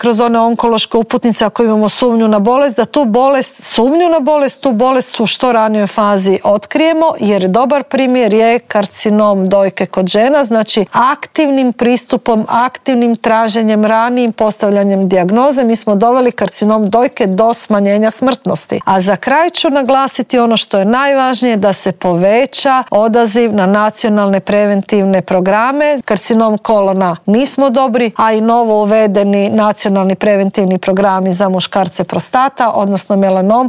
kroz one onkološke uputnice ako imamo sumnju na bolest, da tu sumnju na bolest, tu bolest u što ranijoj fazi otkrijemo, jer dobar primjer je karcinom dojke kod žena, znači aktivnim pristupom, aktivnim traženjem, ranijim postavljanjem dijagnoze mi smo doveli karcinom dojke do smanjenja smrtnosti. A za kraj ću naglasiti ono što je najvažnije, da se poveća odaziv na nacionalne preventivne programe. Karcinom kolona nismo dobri, a i novo uvedeni nacionalni preventivni programi za muškarce prostata, odnosno melanom,